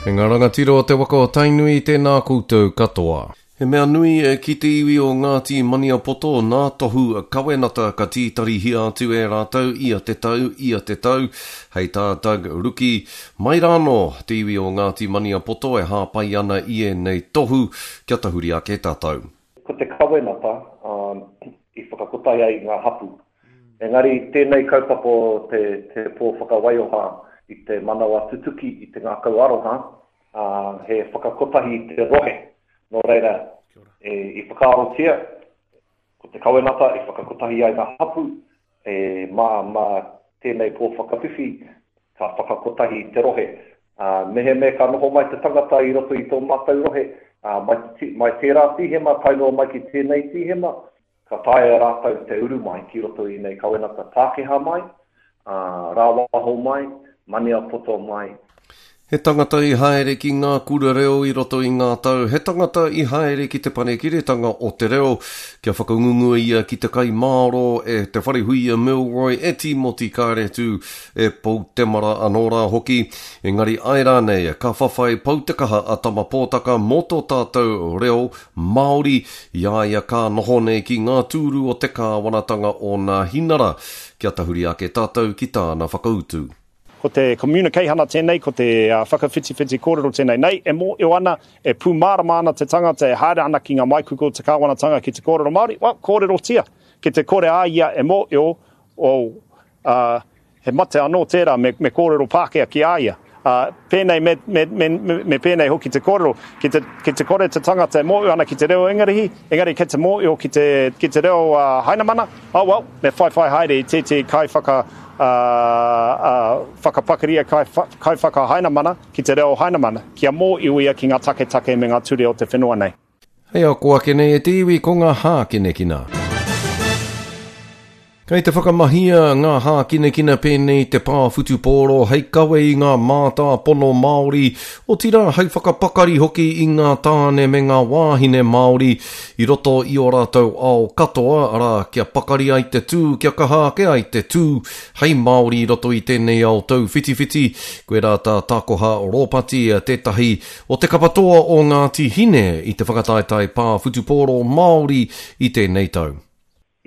E ngā rangatira o te waka o Tainui, tēnā koutou katoa. He mea nui ki te iwi o Ngāti Maniapoto nā tohu kawenata ka tītarihia atu e rātou ia te tau, ia te tau. Hei tā Doug Ruki, mai rānō te iwi o Ngāti Maniapoto e hāpai ana i ēnei tohu kia tahuri ake tātou. Ko te kawenata i whakakotahi ai i ngā hapū. Engari tēnei kaupapa o te, te pō whakawaioha i te manawa tutuki, i te ngākau aroha, ā, he whakakotahi i te rohe. Nō reira, e, i whakaarotia, ko te kawenata i whakakotahi ai ngā hapū, E, mā, mā tēnei pō whakawhiwhi, ka whakakotahi i te rohe. Ā, mehemea ka noho mai te tangata i roto i tō mātou rohe, ā, mai te, mai tērā tīhema tae noa mai ki tēnei tīhema, ka taea e rātou te uru mai ki roto i nei kawenata Pākehā mai, ā, rāwaho mai, Maniapoto mai. He tangata i haere ki ngā kura reo i roto i ngā tau, he tangata i haere ki Te Panekiretanga o te Reo, kia whakangungua ia ki te kai māro e Te Wharehuia Milroy, e Tīmoti Kāretu, e Pou Temara anō rā hoki. Engari āe rānei, ka whawhai pau te kaha a Tama Pōtaka mō tō tātou reo Māori, i a ia ka noho nei ki ngā tūru o te kāwanatanga o Nāhinara. Kia tahuri ake tātou ki tāna whakautu. Ko te communicaihana tēnei, ko te whakawhitiwhiti kōrero tēnei. Nei, e mōhio ana, e pūmārama ana te tangata e haere ana ki ngā maikuku o te kāwanatanga ki te kōrero Māori, well, kōrerotia. Ki te kore a ia e mōhio, oh, uh, he mate anō tērā me, me kōrero Pākehā ki a ia. Uh, pēnei me, me, me, me pēnei hoki te kōrero, ki te, ki te kore te tangata e mōhio ana ki te reo Ingarihi, engari kei te mōhio ki te, ki te reo uh, Hainamana, oh well, me whaiwhai haere i tētehi kaiwhaka, uh, uh, whakapakari, kai, kaiwhaka Hainamana ki te reo Hainamana, kia mōhio ia ki ngā taketake me ngā ture o te whenua nei. Hei ako ake nei e te iwi ko ngā hākinakina. Kei te whakamahia ngā hākinakina pēnei te pā whutupōro hei kawe i ngā mātāpono Māori, otirā hei whakapakari hoki i ngā tāne me ngā wāhine Māori i roto i ō rātou ao katoa, arā, kia pakari ai te tū, kia kaha ake ai te tū hei Māori i roto i tēnei ao tauwhitiwhiti. Koirā tā Takoha Ropati, tētahi O te kapa toa o Ngāti Hine i te whakataetae pā whutupōro Māori i tēnei tau.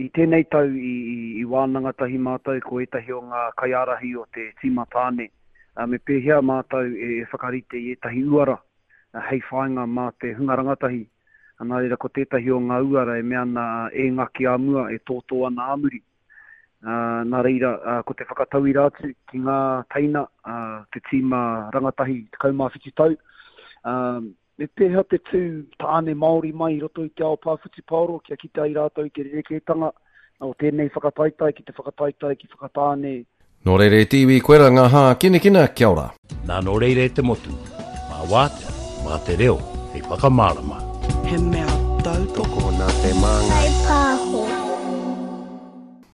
I tēnei tau i wānanga tahi mātou ko ētahi o ngā kaiārahi o te tīma tāne me pēhea mātou e whakarite i ētahi uara hei whāinga mā te hunga rangatahi. Nā reira ko tētahi o ngā uara e mea ana e ngaki ā mua, e tōtō ana ā muri. Nā reira, ko te whakatauira atu ki ngā teina, te tīma rangatahi 17 tau, me pēhea te tū tāne Māori mai i roto i te ao pā whutupaoro kia kite ai rātou i te rerekētanga o tēnei whakataetae ki te whakataetae ki Whakatāne. Nō reira e te iwi, koira ngā hākinakina, kia ora. Nā nō reira e te motu, mā wātea, mā te reo hei whakamārama. He mea tautoko. Tokona te māngai. Whai pāho.